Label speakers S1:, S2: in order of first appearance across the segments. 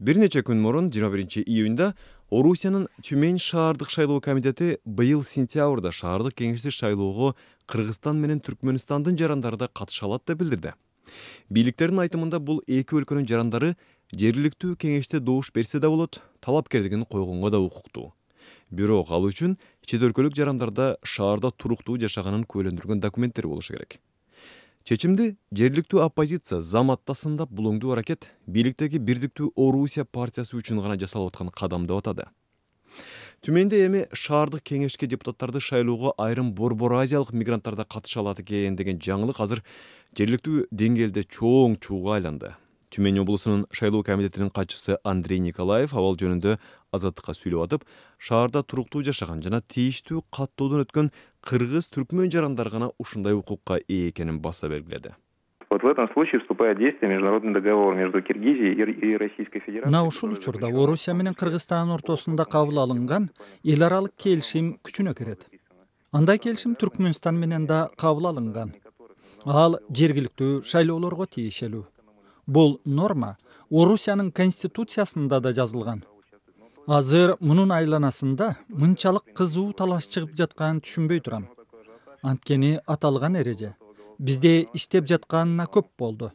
S1: Бир нече күн мурун 21-июнда Орусиянын Тюмень шаардык шайлоо комитети быйыл сентябрда шаардык кеңешти шайлоого Кыргызстан менен Түркмөнстандын жарандары да катыша алат деп билдирди. Бийликтердин айтымында бул эки өлкөнүн жарандары жергиликтүү кеңеште добуш берсе да болот, талапкерлигин койгонго да укуктуу. Бирок ал үчүн чет өлкөлүк жарандарда шаарда туруктуу жашаганын куәлөндүргөн документтери болушу керек. Чечимди жергиликтүү оппозиция зам аттасындап булоңдуу аракет бийликтеги Бирдиктүү Орусия партиясы үчүн гана жасалып аткан кадам деп атады. Түмөндө эми шаардык кеңешке депутаттарды шайлоого айрым Борбор Азиялык мигранттар да катыша алат экен деген жаңылык азыр жергиликтүү деңгээлде чоң чууга айланды. Тюмень облусунун шайлоо комитетинин катчысы Андрей Николаев абал жөнүндө Азаттыкка сүйлөп атып, шаарда туруктуу жашаган жана тийиштүү каттоодон өткөн кыргыз-түркмөн жарандары гана ушундай укукка ээ экенин баса белгиледи.
S2: Вот в этом случае вступает в действие международный договор между Киргизией и Российской Федерацией.
S3: Мына ушул учурда Орусия менен Кыргызстан ортосунда кабыл алынган эл аралык келишим күчүнө кирет. Андай келишим Түркмөнстан менен да кабыл алынган. Ал жергиликтүү шайлоолорго тиешелүү. Бул норма Орусиянын конституциясында да жазылган. Азыр мунун айланасында мынчалык кызуу талаш чыгып жатканын түшүнбөй турам. Анткени аталган эреже бизде иштеп жатканына көп болду.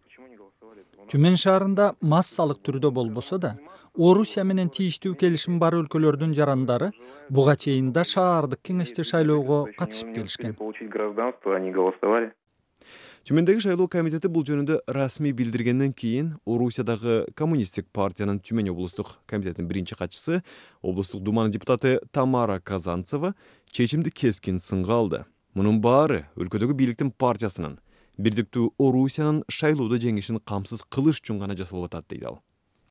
S3: Тюмень шаарында массалык түрдө болбосо да, Орусия менен тийиштүү келишим бар өлкөлөрдүн жарандары буга чейин да шаардык кеңешти шайлоого катышып келишкен.
S1: Түмөндөгү шайлоо комитети бул жөнүндө расмий билдиргенден кийин Орусиядагы коммунисттик партиянын Тюмень облустук комитетинин биринчи катчысы, облустук думанын депутаты Тамара Казанцева чечимди кескин сынга алды. Мунун баары өлкөдөгү бийликтин партиясынын Бирдиктүү Орусиянын шайлоодо жеңишин камсыз кылыш үчүн гана жасалып атат дейт ал.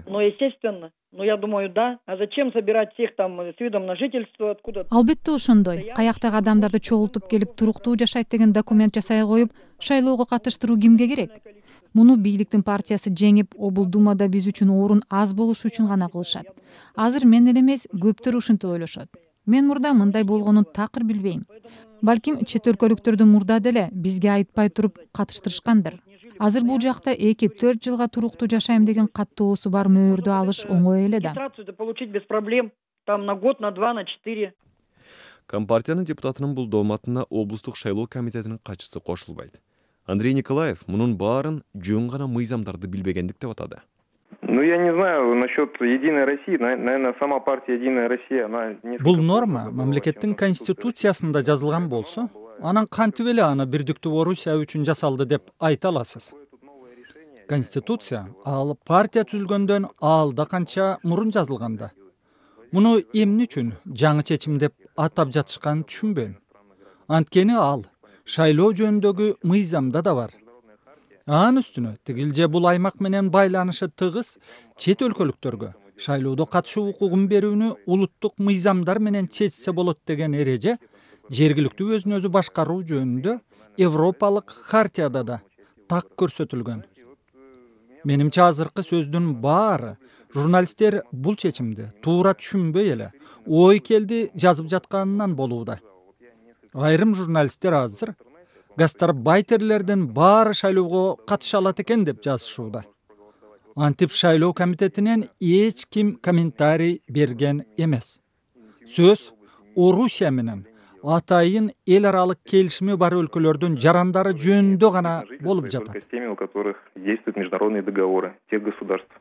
S4: Ну, естественно. Ну, я думаю, да. А зачем собирать всех там с видом на жительство откуда-то?
S5: Албетте ошондой. Каяктагы адамдарды чогултуп келип туруктуу жашайт деген документ жасай коюп, шайлоого катыштыруу кимге керек? Муну бийликтин партиясы жеңип, облдумада биз үчүн орун аз болушу үчүн гана кылышат. Азыр мен эле эмес, көптөр ушинтип ойлошот. Мен мурда мындай болгонун такыр билбейм. Балким чет өлкөлүктөрдү мурда деле бизге айтпай туруп катыштырышкандыр. Азыр бул жакта 2-4 жылга туруктуу жашайм деген каттоосу бар мөөрдү алыш оңой эле да.
S4: Получить без проблем, там на год, на 2, на 4.
S1: Компартиянын депутатынын бул дооматына облустук шайлоо комитетинин катчысы кошулбайт. Андрей Николаев мунун баарын жөн гана мыйзамдарды билбегендик деп атады.
S2: Ну, я не знаю насчет Единой России. Наверное, сама партия Единая Россия, она...
S3: Бул норма мамлекеттин конституциясында жазылган болсо, анан кантип эле аны Бирдиктүү Орусия үчүн жасалды деп айта аласыз? Конституция ал партия түзүлгөндөн алда канча мурун жазылганда. Муну эмне үчүн жаңы чечим деп атап жатышканын түшүнбөйм. Анткени ал шайлоо жөнүндөгү мыйзамда да бар. Анын үстүнө тигилже бул аймак менен байланышы тыгыз чет өлкөлүктөргө шайлоодо катышуу укугун берүүнү улуттук мыйзамдар менен чечсе болот деген эреже жергиликтүү өзүн өзү башкаруу жөнүндө Европалык хартияда да так көрсөтүлгөн. Менимче азыркы сөздүн баары журналисттер бул чечимди туура түшүнбөй эле ой келди жазып жатканынан болууда. Айрым журналисттер азыр гастарбайтерлердин баары шайлоого катыша алат экен деп жазышууда. Антип шайлоо комитетинен эч ким комментарий берген эмес. Сөз Орусия менен атайын эл аралык келишими бар өлкөлөрдүн жарандары жөнүндө гана болуп жатат.
S2: Теми, у которых действуют международные договоры тех государств.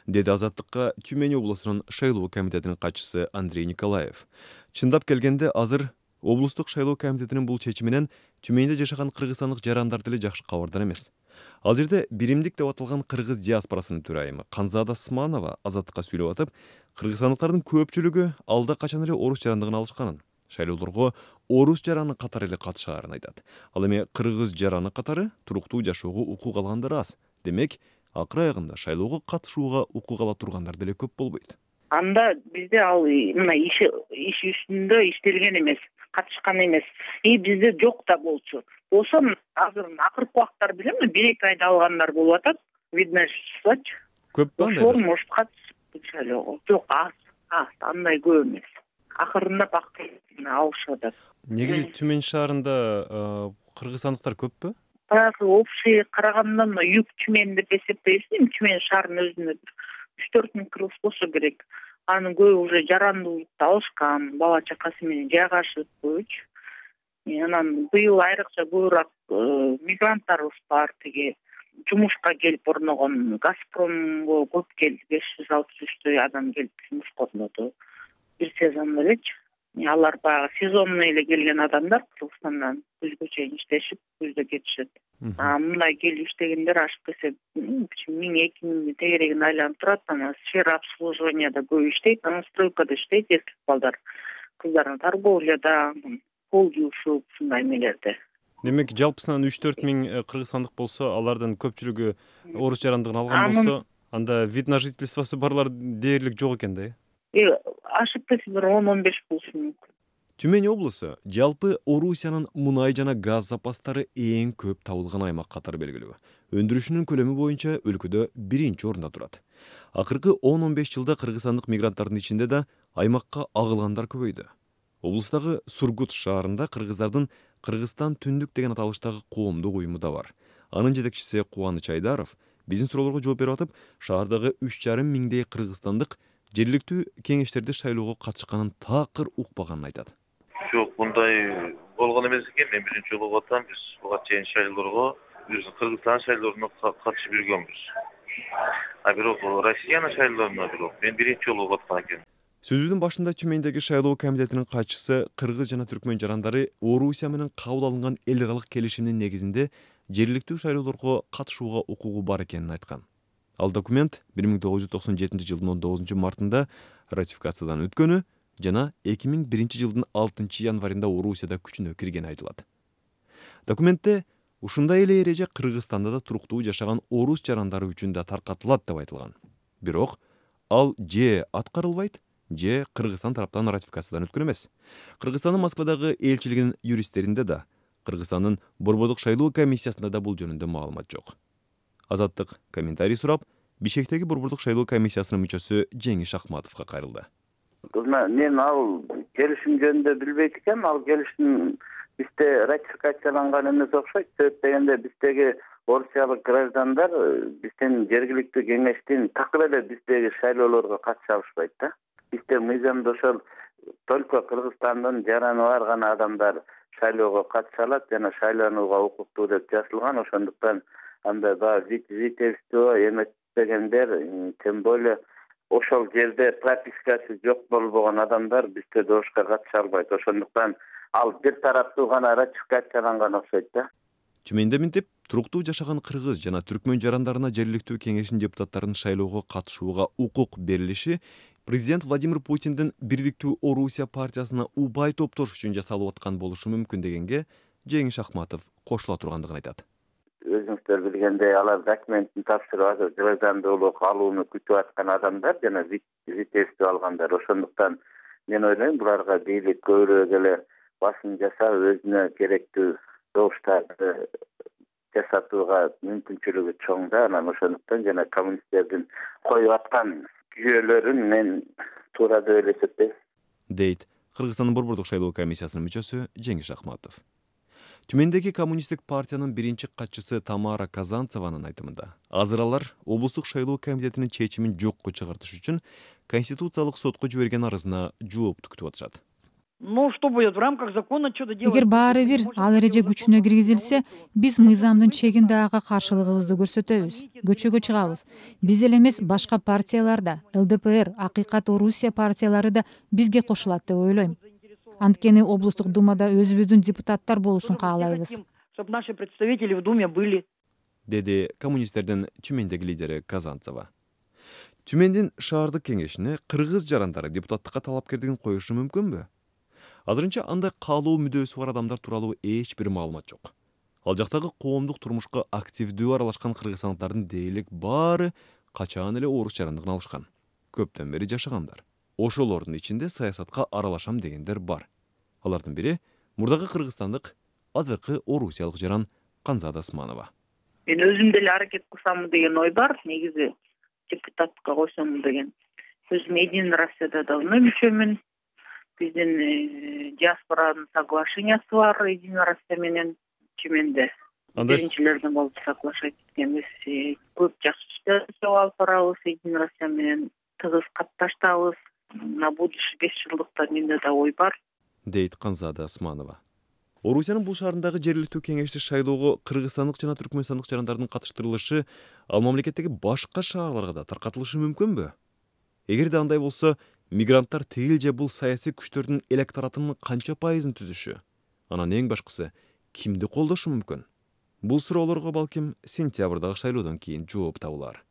S1: Деди Азаттыкка Тюмень облусунун шайлоо комитетинин катчысы Андрей Николаев. Чындап келгенде азыр облустук шайлоо комитетинин бул чечиминен Тюменьде жашаган кыргызстандык жарандар деле жакшы кабардар эмес. Ал жерде биримдик деп аталган кыргыз диаспорасынын төрайымы Канзада Сманова Азаттыкка сүйлөп атып, кыргызстандыктардын көпчүлүгү алда качан эле орус жарандыгын алышканын, шайлоолорго орус жараны катары эле катышаарын айтат. Ал эми кыргыз жараны катары туруктуу жашоого укук алгандар аз. Демек, акыр аягында шайлоого катышууга укук ала тургандар деле көп болбойт.
S6: Анда бизде ал мына иш үстүндө иштелген эмес, катышкан эмес. Бизде жок да болчу. Болсо азыр акыркы убактар билем, 1-2 айда алгандар болуп атат. Видно, числочу.
S1: Көппү андай?
S6: Ошол может катышып шайлоого. Жок, аз, андай көп эмес. Акырында бак алышып атат.
S1: Негизи Тюмень шаарында кыргызстандыктар көппү?
S6: Баягы общий караганда Юг Тюмень деп эсептейбиз. Тюмень шаарынын өзүнө 3-4 миң кыргыз болсо керек. Анын көбү уже жарандуулукта алышкан, бала чакасы менен жайгашыпчы. Анан быйыл айрыкча көбүрөөк мигранттарыбыз бар, тиги жумушка келип орногон. Газпромго көп келди, 563 адам келип жумуш корноду бир сезон элечи. Алар баягы сезонный эле келген адамдар Кыргызстандан күзгө чейин иштешип, күздө кетишет. Мындай келип иштегендер ашып келсе 1000-2000 тегерегин айланып турат. Анан сфера обслуживанияда көп иштейт, анан стройкада иштейт эркек балдар. Кыздар торговляда, пол жуушуп, ушундай эмелерде.
S1: Демек, жалпысынан 3-4 миң кыргызстандык болсо, алардан көпчүлүгү орус жарандыгын алган болсо, анда вид на жительствосы барлар дээрлик жок экен да.
S6: Ашып кетсе бир 10-15 болушу мүмкүн.
S1: Түмөн облусу жалпы Орусиянын мунай жана газ запастары эң көп табылган аймак катары белгилүү. Өндүрүшүнүн көлөмү боюнча өлкөдө 1-чи орунда турат. Акыркы 10-15 жылда кыргызстандык мигранттардын ичинде да аймакка агылгандар көбөйдү. Облустагы Сургут шаарында кыргыздардын Кыргызстан түндүк деген аталыштагы коомдук уюму да бар. Анын жетекчиси Кубаныч Айдаров биздин суроолорго жооп берип атып, шаардагы 3,5 миңдей кыргызстандык жергиликтүү кеңештерди шайлоого катышканын такыр укпаганын айтат.
S7: Жок, мындай болгон эмес экен. Мен биринчи жолу угуп атам. Биз буга чейин шайлоорго, Кыргызстан шайлооруна катышып жүргөнбүз. Бирок Россиянын шайлооруна мен биринчи жолу угуп аткан экен.
S1: Сөзүнүн башында Түмөндөгү шайлоо комитетинин катчысы кыргыз жана түркмөн жарандары Орусия менен кабыл алынган эл аралык келишимдин негизинде жергиликтүү шайлоолорго катышууга укугу бар экенин айткан. Ал документ 1997 жылдын 19 мартында ратификациядан өткөнү жана 2001 жылдын 6 январында Орусияда күчүнө киргени айтылат. Документте ушундай эле эреже Кыргызстанда да туруктуу жашаган орус жарандары үчүн да таркатылат деп айтылган. Бирок ал же аткарылбайт, же Кыргызстан тараптан ратификациядан өткөн эмес. Кыргызстандын Москвадагы элчилигинин юристтеринде да, Кыргызстандын Борбордук шайлоо комиссиясында да бул жөнүндө маалымат жок. Азаттык комментарий сурап, Бишкектеги Борбордук шайлоо комиссиясынын мүчөсү Жеңиш Ахматовго кайрылды.
S8: Мен ал келишим жөнүндө билбейт экенмин. Ал келишим бизде ратификацияланган эмес окшойт. Себеп дегенде биздеги орусиялык граждандар биздин жергиликтүү кеңештин такыр эле биздеги шайлоолорго катыша алышпайт да. Бизде мыйзамда ошол только Кыргызстандын жараны бар гана адамдар шайлоого катыша алат жана шайланууга укуктуу деп жазылган. Ошондуктан анда баягы жительство эметпегендер, тем более ошол жерде пропискасы жок болбогон адамдар бизде добушка катыша албайт. Ошондуктан ал бир тараптуу гана ратификацияланган окшойт да.
S1: Түмөндө минтип, туруктуу жашаган кыргыз жана түркмөн жарандарына жергиликтүү кеңештин депутаттарынын шайлоого катышууга укук берилиши президент Владимир Путиндин Бирдиктүү Орусия партиясына убай топтош үчүн жасалып аткан болушу мүмкүн дегенге Жеңиш Ахматов кошула тургандыгын айтат.
S8: Өзүңүздөр билгендей, алар документин тапшырып азыр граждандуулук алууну күтүп аткан адамдар жана жительство алгандар. Ошондуктан мен ойлойм, буларга бийлик көбүрөөк эле басым жасап, өзүнө керектүү добуштарды жасатууга мүмкүнчүлүгү чоң да. Анан ошондуктан жана коммунисттердин коюп аткан жүйөлөрүн мен туура деп эле эсептейм,
S1: дейт Кыргызстандын Борбордук шайлоо комиссиясынын мүчөсү Жеңиш Ахматов. Түмөндөгү коммунисттик партиянын биринчи катчысы Тамара Казанцеванын айтымында, азыр алар облустук шайлоо комитетинин чечимин жокко чыгартыш үчүн Конституциялык сотко жиберген арызына жоопту күтүп атышат.
S4: Ну, что будет в рамках закона, что-то делать?
S5: Эгер баары бир ал эреже күчүнө киргизилсе, биз мыйзамдын чегинде ага каршылыгыбызды көрсөтөбүз, көчөгө чыгабыз. Биз эле эмес, башка партиялар да, ЛДПР, Акыйкат Орусия партиялары да бизге кошулат деп ойлойм. Анткени облустук думада өзүбүздүн депутаттар болушун каалайбыз.
S4: Чтобы наши представители в Думе были.
S1: Деди коммунисттердин Түмөндөгү лидери Казанцева. Түмөндүн шаардык кеңешине кыргыз жарандары депутаттыкка талапкерлигин коюшу мүмкүнбү? Азырынча андай каалоо мүдөөсү бар адамдар тууралуу эч бир маалымат жок. Ал жактагы коомдук турмушка активдүү аралашкан кыргызстандардын дээрлик баары качан эле орус жарандыгын алышкан. Көптөн бери жашагандар. Ошолордун ичинде саясатка аралашам дегендер бар. Алардын бири мурдагы кыргызстандык, азыркы орусиялык жаран Канзада Османова.
S6: Мен өзүм деле аракет кылсам деген ой бар, негизи депутатка койсом деген. Өзүм Единая Россияда давно мүчөмүн. Биздин диаспоранын соглашениясы бар Единая Россия менен Түмөндө. биринчилерден болуп соглашать эткенбиз. Көп жакшы иштер алып барабыз Единая Россия менен, тыгыз катташтабыз. На будущий 5 жылдыкта менде да ой бар,
S1: дейт Канзада Османова. Орусиянын бул шаарындагы жергиликтүү кеңешти шайлоого кыргызстандык жана түркмөнстандык жарандардын катыштырылышы ал мамлекеттеги башка шаарларга да таркатылышы мүмкүнбү? Эгерде андай болсо, мигранттар тегил же бул саясий күчтөрдүн электоратынын канча пайызын түзүшү? Анан эң башкысы, кимди колдошу мүмкүн? Бул суроолорго балким сентябрдагы шайлоодон кийин жооп табылар.